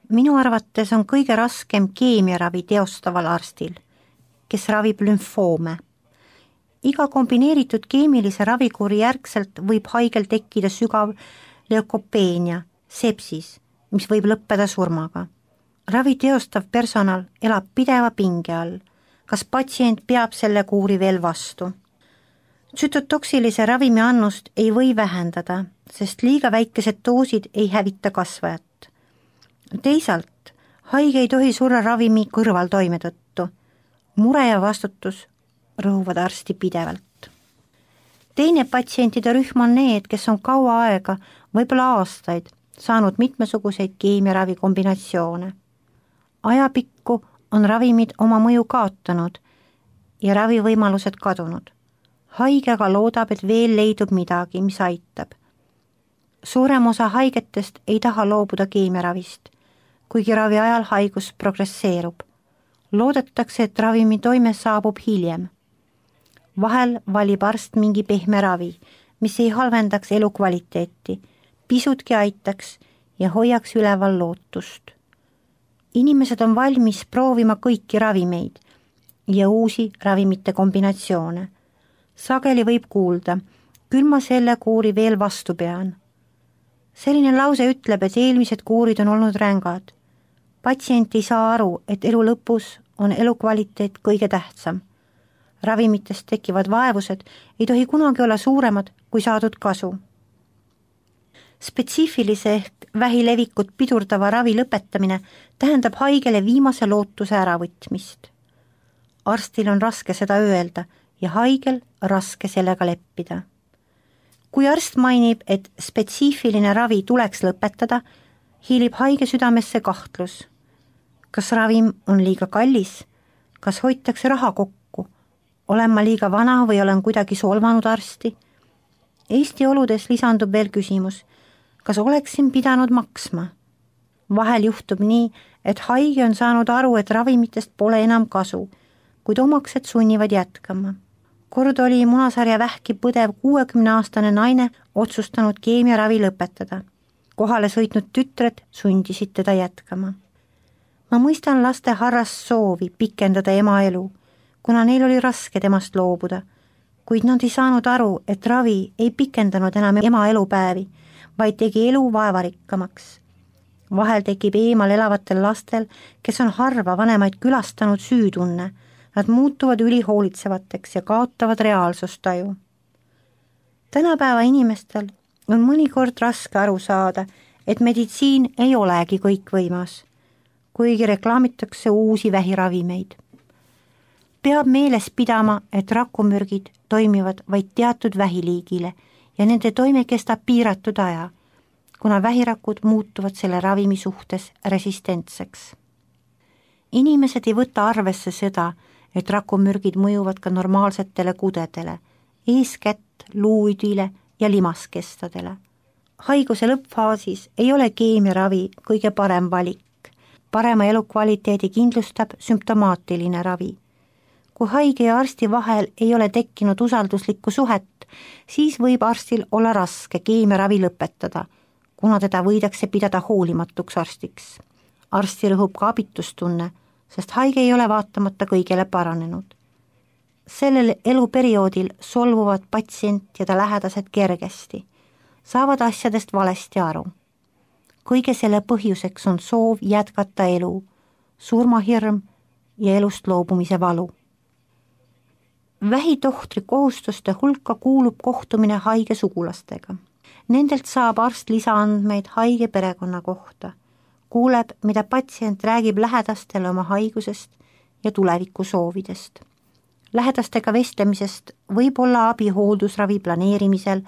Minu arvates on kõige raskem keemiaravi teostaval arstil, kes ravib lümfoome. Iga kombineeritud keemilise ravikuuri järgselt võib haigel tekkida sügav leukopeenia, sepsis, mis võib lõppeda surmaga. Ravi teostav personal elab pideva pinge all. Kas patsient peab selle kuuri veel vastu? Tsütotoksilise ravimi annust ei või vähendada, sest liiga väikesed doosid ei hävita kasvajat. Teisalt, haige ei tohi surra ravimi kõrvaltoime tõttu. Mure ja vastutus rõhuvad arsti pidevalt. Teine patsientide rühm on need, kes on kaua aega, võib-olla aastaid, saanud mitmesuguseid keemiaravi kombinatsioone. Ajapikku on ravimid oma mõju kaotanud ja ravivõimalused kadunud. Haige aga loodab, et veel leidub midagi, mis aitab. Suurem osa haigetest ei taha loobuda keemiaravist, kuigi ravi ajal haigus progresseerub. Loodetakse, et ravimi toime saabub hiljem. Vahel valib arst mingi pehme ravi, mis ei halvendaks elukvaliteeti, pisutki aitaks ja hoiaks üleval lootust. Inimesed on valmis proovima kõiki ravimeid ja uusi ravimite kombinatsioone. Sageli võib kuulda, küll ma selle kuuri veel vastu pean. Selline lause ütleb, et eelmised kuurid on olnud rängad. Patsient ei saa aru, et elu lõpus on elukvaliteet kõige tähtsam. Ravimitest tekivad vaevused ei tohi kunagi olla suuremad kui saadud kasu. Spetsiifilise ehk vähilevikut pidurdava ravi lõpetamine tähendab haigele viimase lootuse äravõtmist. Arstil on raske seda öelda ja haigel raske sellega leppida. Kui arst mainib, et spetsiifiline ravi tuleks lõpetada, hiilib haige südamesse kahtlus. Kas ravim on liiga kallis? Kas hoitakse raha kokku? Olen ma liiga vana või olen kuidagi solvanud arsti? Eesti oludes lisandub veel küsimus, kas oleksin pidanud maksma? Vahel juhtub nii, et haige on saanud aru, et ravimitest pole enam kasu, kuid omaksed sunnivad jätkama. Kord oli munasarja vähki põdev 60-aastane naine otsustanud keemiaravi lõpetada. Kohale sõitnud tütred sundisid teda jätkama. Ma mõistan laste harrast soovi pikendada ema elu, kuna neil oli raske temast loobuda, kuid nad ei saanud aru, et ravi ei pikendanud enam ema elupäevi, vaid tegi elu vaevarikkamaks. Vahel tekib eemal elavatel lastel, kes on harva vanemaid külastanud süütunne, nad muutuvad ülihoolitsevateks ja kaotavad reaalsustaju. Tänapäeva inimestel on mõnikord raske aru saada, et meditsiin ei olegi kõikvõimas, kuigi reklaamitakse uusi vähiravimeid. Peab meeles pidama, et rakumürgid toimivad vaid teatud vähiliigile ja nende toime kestab piiratud aja, kuna vähirakud muutuvad selle ravimi suhtes resistentseks. Inimesed ei võta arvesse seda, et rakumürgid mõjuvad ka normaalsetele kudedele, eeskätt luuüdile ja limaskestadele. Haiguse lõppfaasis ei ole keemiaravi kõige parem valik. Parema elukvaliteedi kindlustab sümptomaatiline ravi. Kui haige ja arsti vahel ei ole tekkinud usalduslikku suhet, siis võib arstil olla raske keemiaravi lõpetada, kuna teda võidakse pidada hoolimatuks arstiks. Arsti rõhub ka abitustunne, sest haige ei ole vaatamata kõigele paranenud. Sellel eluperioodil solvuvad patsient ja ta lähedased kergesti, saavad asjadest valesti aru. Kõige selle põhjuseks on soov jätkata elu, surmahirm ja elust loobumise valu. Vähitohtri kohustuste hulka kuulub kohtumine haige sugulastega. Nendelt saab arst lisaandmeid haige perekonna kohta. Kuuleb, mida patsient räägib lähedastele oma haigusest ja tuleviku soovidest. Lähedastega vestlemisest võib olla abi hooldusravi planeerimisel,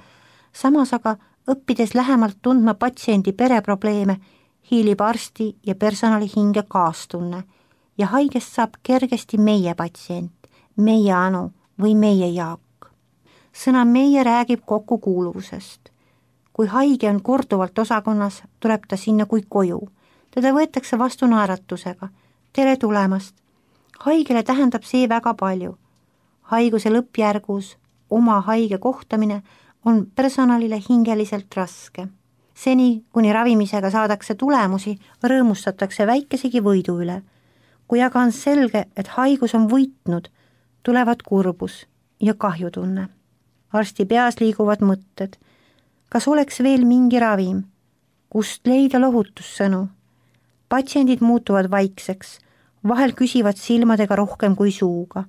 samas aga õppides lähemalt tundma patsiendi pereprobleeme, hiilib arsti ja personali hinge kaastunne ja haigest saab kergesti meie patsient, meie Anu või meie Jaak. Sõna meie räägib kokkukuuluvusest. Kui haige on korduvalt osakonnas, tuleb ta sinna kui koju. Teda võetakse vastu naeratusega. Tere tulemast. Haigele tähendab see väga palju. Haiguse lõppjärgus oma haige kohtamine on personalile hingeliselt raske. Seni, kuni ravimisega saadakse tulemusi, rõõmustatakse väikesegi võidu üle. Kui aga on selge, et haigus on võitnud, tulevad kurbus ja kahjutunne. Arsti peas liiguvad mõtted. Kas oleks veel mingi ravim? Kust leida lohutussõnu? Patsiendid muutuvad vaikseks, vahel küsivad silmadega rohkem kui suuga.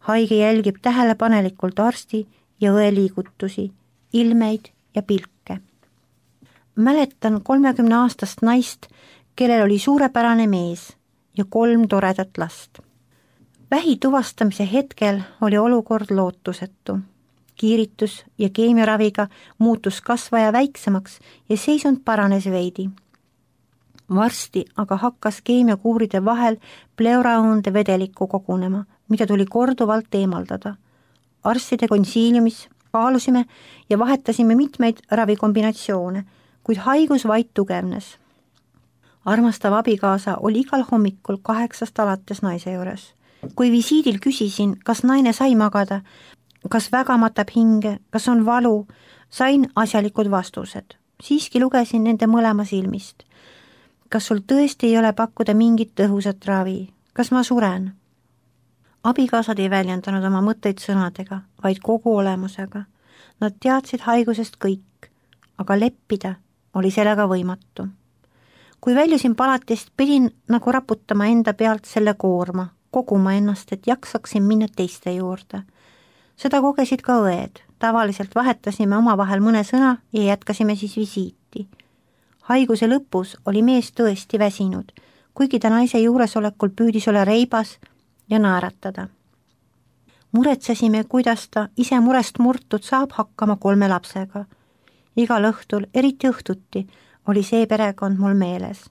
Haige jälgib tähelepanelikult arsti ja õe liigutusi, ilmeid ja pilke. Mäletan 30-aastast naist, kellel oli suurepärane mees ja 3 toredat last. Vähi tuvastamise hetkel oli olukord lootusetu. Kiiritus ja keemiaraviga muutus kasvaja väiksemaks ja seisund paranes veidi. Varsti aga hakkas keemiakuuride vahel pleuraõunde vedelikku kogunema, mida tuli korduvalt eemaldada. Arstide konsiiliumis kaalusime ja vahetasime mitmeid ravikombinatsioone, kuid haigus vaid tugevnes. Armastav abikaasa oli igal hommikul 8 alates naise juures. Kui visiidil küsisin, kas naine sai magada, kas väga matab hinge, kas on valu, sain asjalikud vastused. Siiski lugesin nende mõlema silmist. Kas sul tõesti ei ole pakkuda mingit tõhusat ravi? Kas ma suren? Abikaasad ei väljendanud oma mõtteid sõnadega, vaid kogu olemusega. Nad teadsid haigusest kõik, aga leppida oli sellega võimatu. Kui väljusin palatist, pidin nagu raputama enda pealt selle koorma, koguma ennast, et jaksaksin minna teiste juurde. Seda kogesid ka õed. Tavaliselt vahetasime omavahel mõne sõna ja jätkasime siis visiiti. Haiguse lõpus oli mees tõesti väsinud, kuigi ta naise juuresolekul püüdis olla reibas ja naeratada. Muretsesime, kuidas ta ise murest murtud saab hakkama 3 lapsega. Igal õhtul, eriti õhtuti, oli see perekond mul meeles.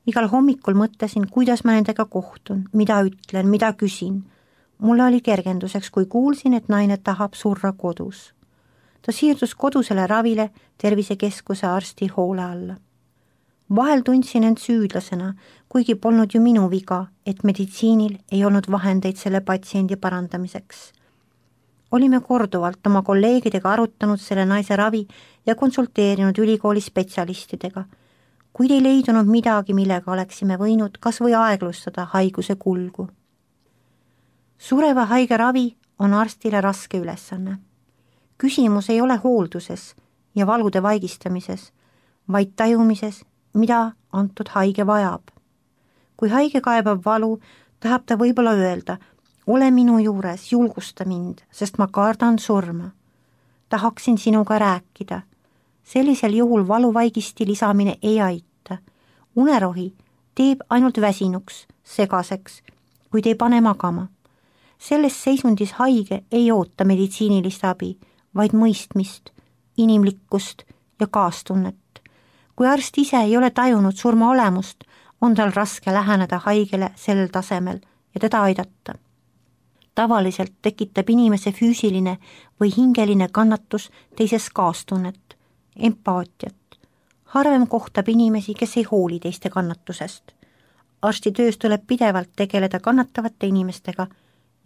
Igal hommikul mõtlesin, kuidas ma nendega kohtun, mida ütlen, mida küsin. Mulle oli kergenduseks, kui kuulsin, et naine tahab surra kodus. Ta siirdus kodusele ravile tervisekeskuse arsti hoole alla. Vahel tundsin end süüdlasena, kuigi polnud ju minu viga, et meditsiinil ei olnud vahendeid selle patsiendi parandamiseks. Olime korduvalt oma kolleegidega arutanud selle naise ravi ja konsulteerinud ülikooli spetsialistidega, kuid ei leidunud midagi, millega oleksime võinud kas või aeglustada haiguse kulgu. Sureva haige ravi on arstile raske ülesanne. Küsimus ei ole hoolduses ja valude vaigistamises, vaid tajumises, mida antud haige vajab. Kui haige kaebab valu, tahab ta võib-olla öelda, ole minu juures, julgusta mind, sest ma kardan surma. Tahaksin sinuga rääkida. Sellisel juhul valuvaigisti lisamine ei aita. Unerohi teeb ainult väsinuks, segaseks, kuid ei pane magama. Selles seisundis haige ei oota meditsiinilist abi, vaid mõistmist, inimlikkust ja kaastunnet. Kui arst ise ei ole tajunud surma olemust, on tal raske läheneda haigele sellel tasemel ja teda aidata. Tavaliselt tekitab inimese füüsiline või hingeline kannatus teises kaastunnet, empaatiat. Harvem kohtab inimesi, kes ei hooli teiste kannatusest. Arsti töös tuleb pidevalt tegeleda kannatavate inimestega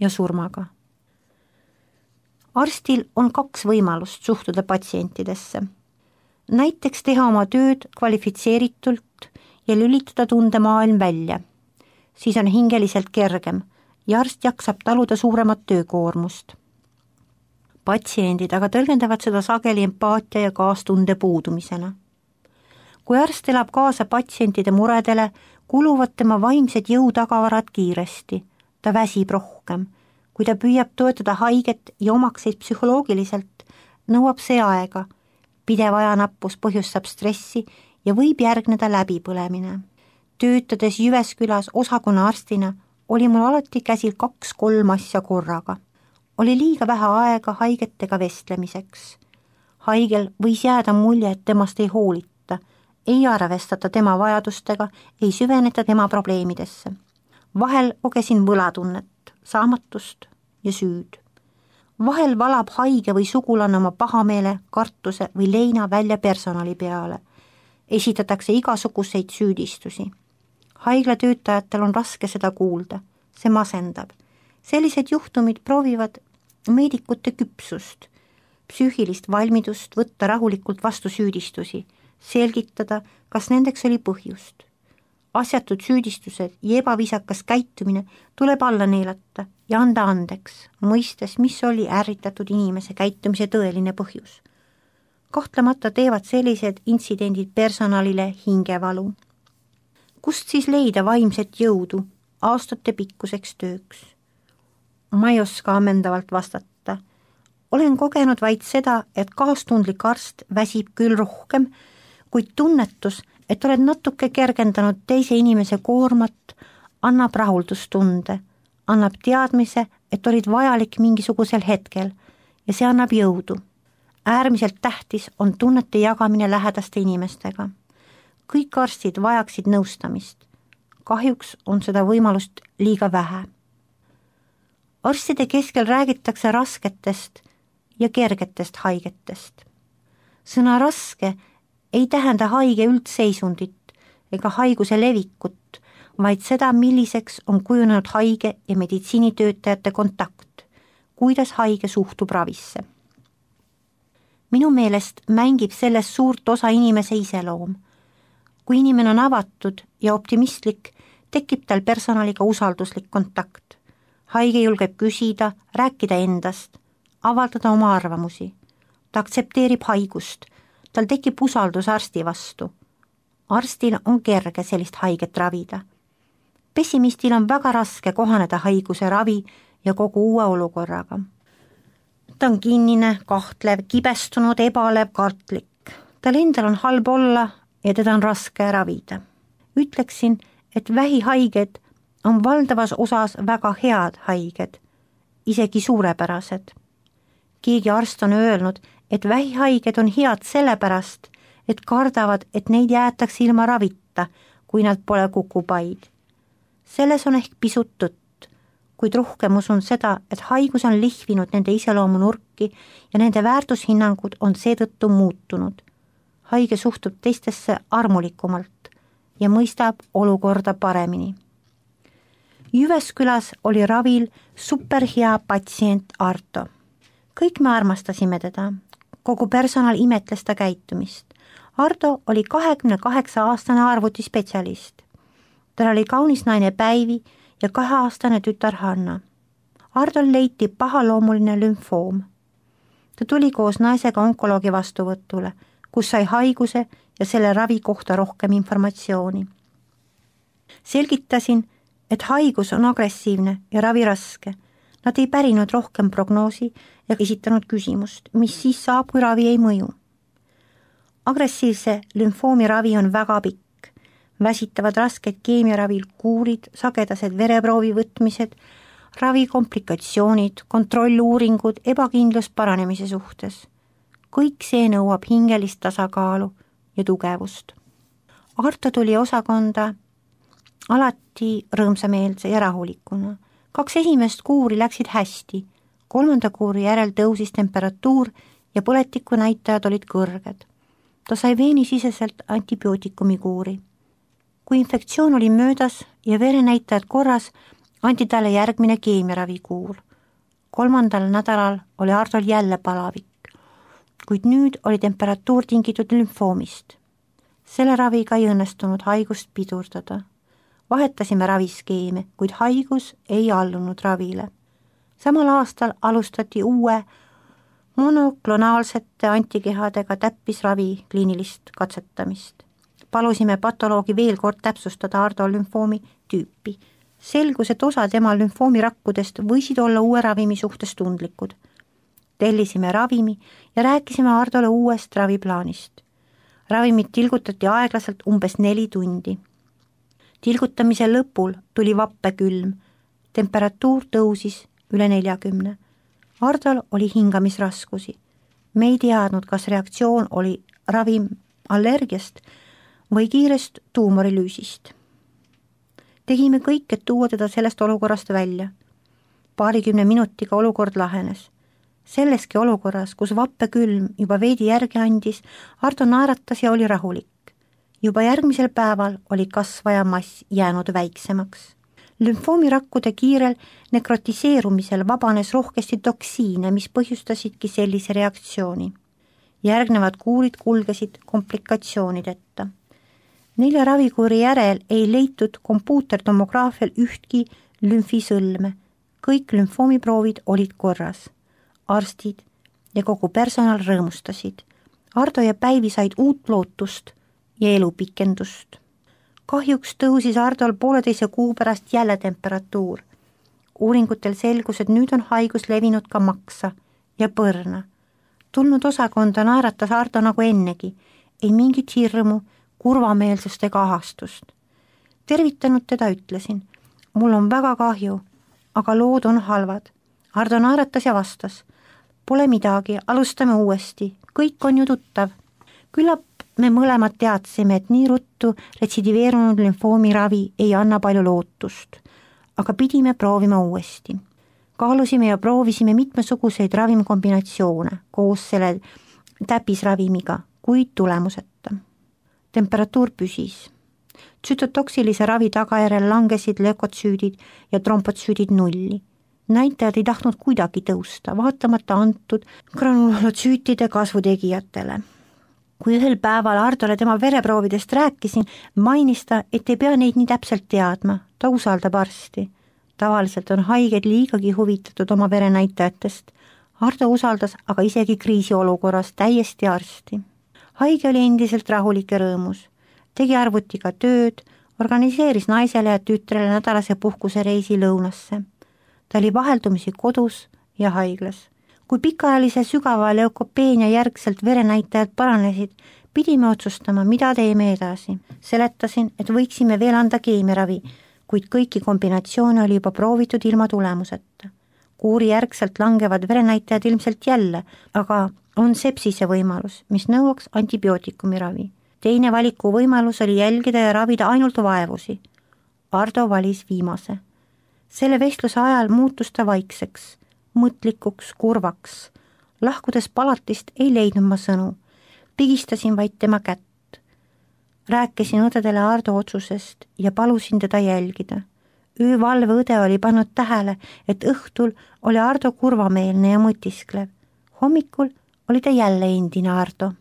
ja surmaga. Arstil on 2 võimalust suhtuda patsientidesse. Näiteks teha oma tööd kvalifitseeritult ja lülitada tundemaailm välja. Siis on hingeliselt kergem ja arst jaksab taluda suuremat töökoormust. Patsiendid aga tõlgendavad seda sageli empaatia ja kaastunde puudumisena. Kui arst elab kaasa patsientide muredele, kuluvad tema vaimsed jõutagavarad kiiresti. Ta väsib rohkem. Kui ta püüab toetada haiget ja omakseid psühholoogiliselt, nõuab see aega. Pidev ajanappus põhjustab stressi ja võib järgneda läbipõlemine. Töötades Jyväskylas osakonna arstina oli mul alati käsil 2-3 asja korraga. Oli liiga vähe aega haigetega vestlemiseks. Haigel võis jääda mulje, et temast ei hoolita, ei arvestata tema vajadustega, ei süveneta tema probleemidesse. Vahel kogesin võlatunnet, saamatust ja süüd. Vahel valab haige või sugulane oma pahameele, kartuse või leina välja personali peale. Esitatakse igasuguseid süüdistusi. Haiglatöötajatel on raske seda kuulda, see masendab. Sellised juhtumid proovivad meedikute küpsust, psüühilist valmidust võtta rahulikult vastu süüdistusi, selgitada, kas nendeks oli põhjust. Asjatud süüdistused ja ebaviisakas käitumine tuleb alla neelata ja anda andeks, mõistes, mis oli ärritatud inimese käitumise tõeline põhjus. Kahtlemata teevad sellised intsidendid personalile hingevalu. Kust siis leida vaimset jõudu aastate pikkuseks tööks? Ma ei oska ammendavalt vastata. Olen kogenud vaid seda, et kaastundlik arst väsib küll rohkem, kuid tunnetus, et oled natuke kergendanud teise inimese koormat, annab rahuldustunde, annab teadmise, et olid vajalik mingisugusel hetkel ja see annab jõudu. Äärmiselt tähtis on tunnete jagamine lähedaste inimestega. Kõik arstid vajaksid nõustamist. Kahjuks on seda võimalust liiga vähe. Arstide keskel räägitakse rasketest ja kergetest haigetest. Sõna raske ei tähenda haige üldseisundit ega haiguse levikut, vaid seda, milliseks on kujunenud haige ja meditsiinitöötajate kontakt, kuidas haige suhtub ravisse. Minu meelest mängib selles suurt osa inimese iseloom. Kui inimene on avatud ja optimistlik, tekib tal personaliga usalduslik kontakt. Haige julgeb küsida, rääkida endast, avaldada oma arvamusi. Ta aktsepteerib haigust, tal tekib usaldus arsti vastu. Arstil on kerge sellist haiget ravida. Pessimistil on väga raske kohaneda haiguse ravi ja kogu uue olukorraga. Ta on kinnine, kahtlev, kibestunud, ebalev, kartlik. Tal endal on halb olla ja teda on raske ravida. Ütleksin, et vähihaiged on valdavas osas väga head haiged, isegi suurepärased. Keegi arst on öelnud, et vähihaiged on head sellepärast, et kardavad, et neid jäetakse ilma ravita, kui nad pole kukupaid. Selles on ehk pisut tõtt, kuid rohkem usun seda, et haigus on lihvinud nende iseloomu nurki ja nende väärtushinnangud on seetõttu muutunud. Haige suhtub teistesse armulikumalt ja mõistab olukorda paremini. Jyväskyläs oli ravil superhea patsient Arto. Kõik me armastasime teda. Kogu personal imetles ta käitumist. Arto oli 28-aastane arvutispetsialist. Tal oli kaunis naine Päivi ja 2-aastane tütar Hanna. Ardol leiti pahaloomuline lümfoom. Ta tuli koos naisega onkoloogi vastuvõtule, kus sai haiguse ja selle ravi kohta rohkem informatsiooni. Selgitasin, et haigus on agressiivne ja ravi raske. Nad ei pärinud rohkem prognoosi ja esitanud küsimust, mis siis saab, kui ravi ei mõju. Agressiivse lümfoomi ravi on väga pikk. Väsitavad rasked keemiaravil kuurid, sagedased vereproovi võtmised, ravikomplikatsioonid, kontrolluuringud, ebakindlus paranemise suhtes. Kõik see nõuab hingelist tasakaalu ja tugevust. Arto tuli osakonda alati rõõmsameelse ja rahulikuna. 2 esimest kuuri läksid hästi, 3. kuuri järel tõusis temperatuur ja põletiku näitajad olid kõrged. Ta sai veenisiseselt antibiootikumi kuuri. Kui infektsioon oli möödas ja verenäitajad korras, anti talle järgmine keemiaravikuur. 3. nädalal oli Ardol jälle palavik, kuid nüüd oli temperatuur tingitud lümfoomist. Selle raviga ei õnnestunud haigust pidurdada. Vahetasime raviskeeme, kuid haigus ei allunud ravile. Samal aastal alustati uue monoklonaalsete antikehadega täppisravi kliinilist katsetamist. Palusime patoloogi veel kord täpsustada Ardo lümfoomi tüüpi. Selgus, et osa tema lümfoomirakkudest võisid olla uue ravimi suhtes tundlikud. Tellisime ravimi ja rääkisime Ardole uuest raviplaanist. Ravimid tilgutati aeglaselt umbes 4 tundi. Tilgutamise lõpul tuli vappekülm, temperatuur tõusis üle 40. Ardol oli hingamisraskusi. Me ei teadnud, kas reaktsioon oli ravim allergiast või kiirest tuumorilüüsist. Tegime kõik, et tuua teda sellest olukorrast välja. 20 minutiga olukord lahenes. Selleski olukorras, kus vappekülm juba veidi järgi andis, Ardo naeratas ja oli rahulik. Juba järgmisel päeval oli kasvaja mass jäänud väiksemaks. Lümfoomirakkude kiirel nekrotiseerumisel vabanes rohkesti toksiine, mis põhjustasidki sellise reaktsiooni. Järgnevad kuurid kulgesid komplikatsioonideta. 4 ravikuuri järel ei leitud kompuutertomograafial ühtki lümfisõlme. Kõik lümfoomiproovid olid korras. Arstid ja kogu personal rõõmustasid. Ardo ja Päivi said uut lootust ja elupikendust. Kahjuks tõusis Ardol 1,5 kuu pärast jälle temperatuur. Uuringutel selgus, et nüüd on haigus levinud ka maksa ja põrna. Tulnud osakonda naeratas Ardo nagu ennegi, ei mingit hirmu, kurvameelsust ega ahastust. Tervitanud teda ütlesin, mul on väga kahju, aga lood on halvad. Ardo naeratas ja vastas, pole midagi, alustame uuesti, kõik on ju tuttav. Küllap me mõlemad teadsime, et nii ruttu retsidiveerunud lümfoomi ravi ei anna palju lootust, aga pidime proovima uuesti. Kaalusime ja proovisime mitmesuguseid ravimkombinatsioone koos selle täpisravimiga, kuid tulemuseta. Temperatuur püsis. Tsütotoksilise ravi tagajärjel langesid lökotsüüdid ja trombotsüüdid nulli. Näitajad ei tahtnud kuidagi tõusta, vaatamata antud granulootsüütide kasvutegijatele. Kui ühel päeval Ardole tema vereproovidest rääkisin, mainis ta, et ei pea neid nii täpselt teadma, ta usaldab arsti. Tavaliselt on haiged liigagi huvitatud oma verenäitajatest. Ardo usaldas aga isegi kriisiolukorras täiesti arsti. Haige oli endiselt rahulik ja rõõmus. Tegi arvutiga tööd, organiseeris naisele ja tütrele nädalase puhkusereisi lõunasse. Ta oli vaheldumisi kodus ja haiglas. Kui pikaajalise sügava leukopeenia järgselt verenäitajad paranesid, pidime otsustama, mida teeme edasi. Seletasin, et võiksime veel anda keemiaravi, kuid kõiki kombinatsioone oli juba proovitud ilma tulemuseta. Kuuri järgselt langevad verenäitajad ilmselt jälle, aga on sepsise võimalus, mis nõuaks antibiootikumi ravi. Teine valiku võimalus oli jälgida ja ravida ainult vaevusi. Ardo valis viimase. Selle vestluse ajal muutus ta vaikseks, mõtlikuks, kurvaks. Lahkudes palatist ei leidnud ma sõnu. Pigistasin vaid tema kätt. Rääkisin õdedele Ardo otsusest ja palusin teda jälgida. Öövalve õde oli pannud tähele, et õhtul oli Ardo kurvameelne ja mõtisklev. Hommikul oli ta jälle endine Ardo.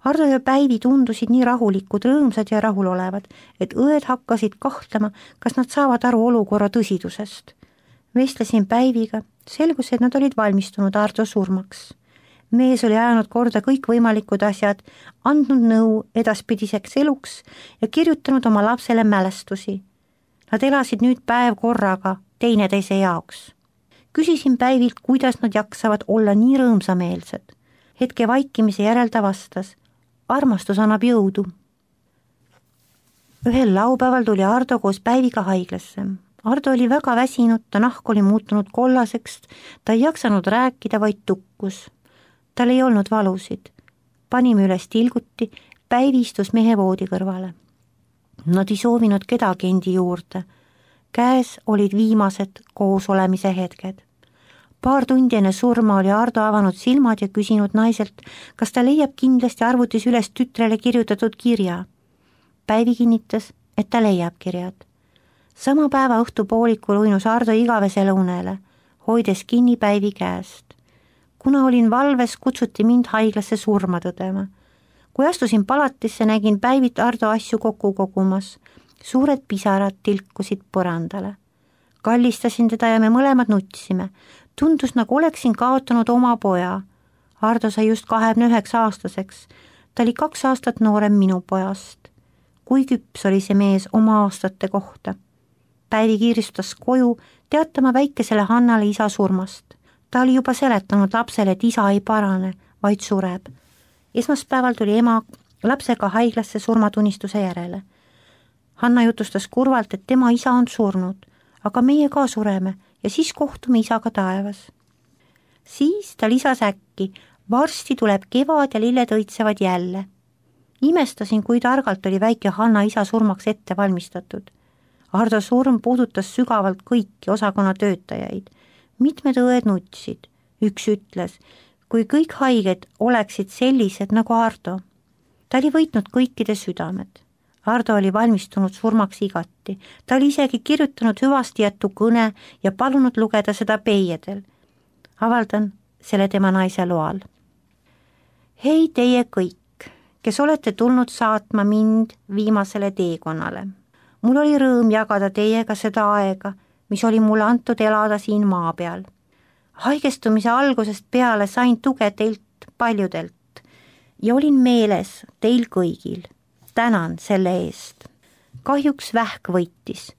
Ardo ja Päivi tundusid nii rahulikud, rõõmsad ja rahulolevad, et õed hakkasid kahtlema, kas nad saavad aru olukorra tõsidusest. Vestlesin Päiviga, selgus, et nad olid valmistunud Ardo surmaks. Mees oli ajanud korda kõikvõimalikud asjad, andnud nõu edaspidiseks eluks ja kirjutanud oma lapsele mälestusi. Nad elasid nüüd päev korraga teineteise jaoks. Küsisin Päivilt, kuidas nad jaksavad olla nii rõõmsameelsed. Hetke vaikimise järel ta vastas, armastus annab jõudu. Ühel laupäeval tuli Ardo koos Päiviga haiglasse. Ardo oli väga väsinud, ta nahk oli muutunud kollaseks, ta ei jaksanud rääkida, vaid tukkus. Tal ei olnud valusid. Panime üles tilguti, Päivi istus mehe voodi kõrvale. Nad ei soovinud kedagi endi juurde. Käes olid viimased koosolemise hetked. Paar tundi enne surma oli Ardo avanud silmad ja küsinud naiselt, kas ta leiab kindlasti arvutis üles tütrele kirjutatud kirja. Päivi kinnitas, et ta leiab kirjad. Sama päeva õhtupoolikul uinus Ardo igavesele unele, hoides kinni Päivi käest. Kuna olin valves, kutsuti mind haiglasse surma tõdema. Kui astusin palatisse, nägin Päivit Ardo asju kokku kogumas. Suured pisarad tilkusid põrandale. Kallistasin teda ja me mõlemad nutsime. Tundus, nagu oleksin kaotanud oma poja. Ardo sai just 29-aastaseks. Ta oli 2 aastat noorem minu pojast. Kui küps oli see mees oma aastate kohta. Päivi kiiristas koju teatama väikesele Hannale isa surmast. Ta oli juba seletanud lapsele, et isa ei parane, vaid sureb. Esmaspäeval tuli ema lapsega haiglasse surmatunnistuse järele. Hanna jutustas kurvalt, et tema isa on surnud, aga meie ka sureme ja siis kohtume isaga taevas. Siis ta lisas äkki, varsti tuleb kevad ja lilled õitsevad jälle. Imestasin, kui targalt oli väike Hanna isa surmaks ette valmistatud. Ardo surm puudutas sügavalt kõiki osakonna töötajaid. Mitmed õed nutsid. Üks ütles, kui kõik haiged oleksid sellised nagu Ardo. Ta oli võitnud kõikide südamed. Ardo oli valmistunud surmaks igati. Ta oli isegi kirjutanud hüvastijätu kõne ja palunud lugeda seda peiedel. Avaldan selle tema naise loal. hei teie kõik, kes olete tulnud saatma mind viimasele teekonnale. mul oli rõõm jagada teiega seda aega, mis oli mulle antud elada siin maa peal. haigestumise algusest peale sain tuge teilt paljudelt ja olin meeles teil kõigil. tänan selle eest. kahjuks vähk võitis.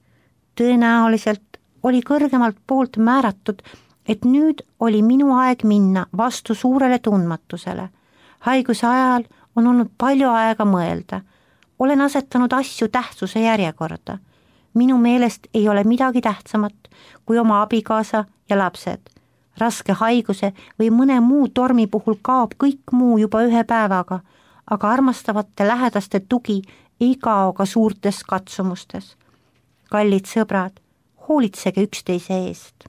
tõenäoliselt oli kõrgemalt poolt määratud, et nüüd oli minu aeg minna vastu suurele tundmatusele. haiguse ajal on olnud palju aega mõelda. olen asetanud asju tähtsuse järjekorda. minu meelest ei ole midagi tähtsamat kui oma abikaasa ja lapsed. raske haiguse või mõne muu tormi puhul kaob kõik muu juba ühe päevaga, aga armastavate lähedaste tugi ei kao ka suurtes katsumustes. kallid sõbrad, hoolitsege üksteise eest.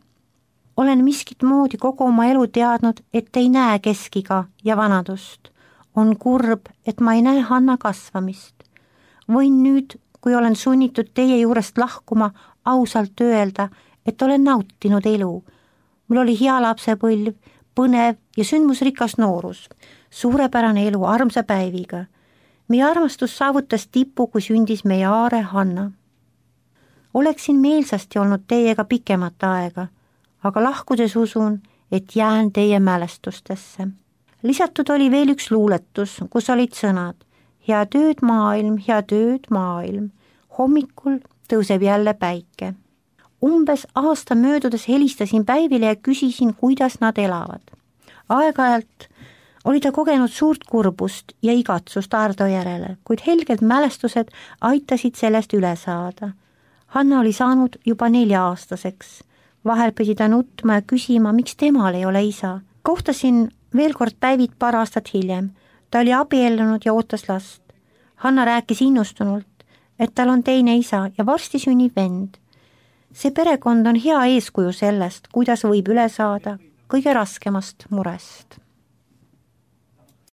olen miskit moodi kogu oma elu teadnud, et ei näe keskiga ja vanadust. on kurb, et ma ei näe Hanna kasvamist. võin nüüd, kui olen sunnitud teie juurest lahkuma, ausalt öelda, et olen nautinud elu. mul oli hea lapsepõlv, põnev ja sündmusrikas noorus, suurepärane elu armsa Päiviga. meie armastus saavutas tipu, kui sündis meie aare Hanna. oleksin meelsasti olnud teiega pikemat aega, aga lahkudes usun, et jään teie mälestustesse. lisatud oli veel üks luuletus, kus olid sõnad: head ööd maailm, hommikul tõuseb jälle päike. umbes aasta möödudes helistasin Päivile ja küsisin, kuidas nad elavad. aeg-ajalt oli ta kogenud suurt kurbust ja igatsust Ardo järele, kuid helged mälestused aitasid sellest üle saada. Hanna oli saanud juba 4-aastaseks. vahel pidi ta nutma ja küsima, miks temal ei ole isa. kohtasin veel kord Päivit paar aastat hiljem. ta oli abiellunud ja ootas last. Hanna rääkis innustunult, et tal on teine isa ja varsti sünnib vend. see perekond on hea eeskuju sellest, kuidas võib üle saada kõige raskemast murest.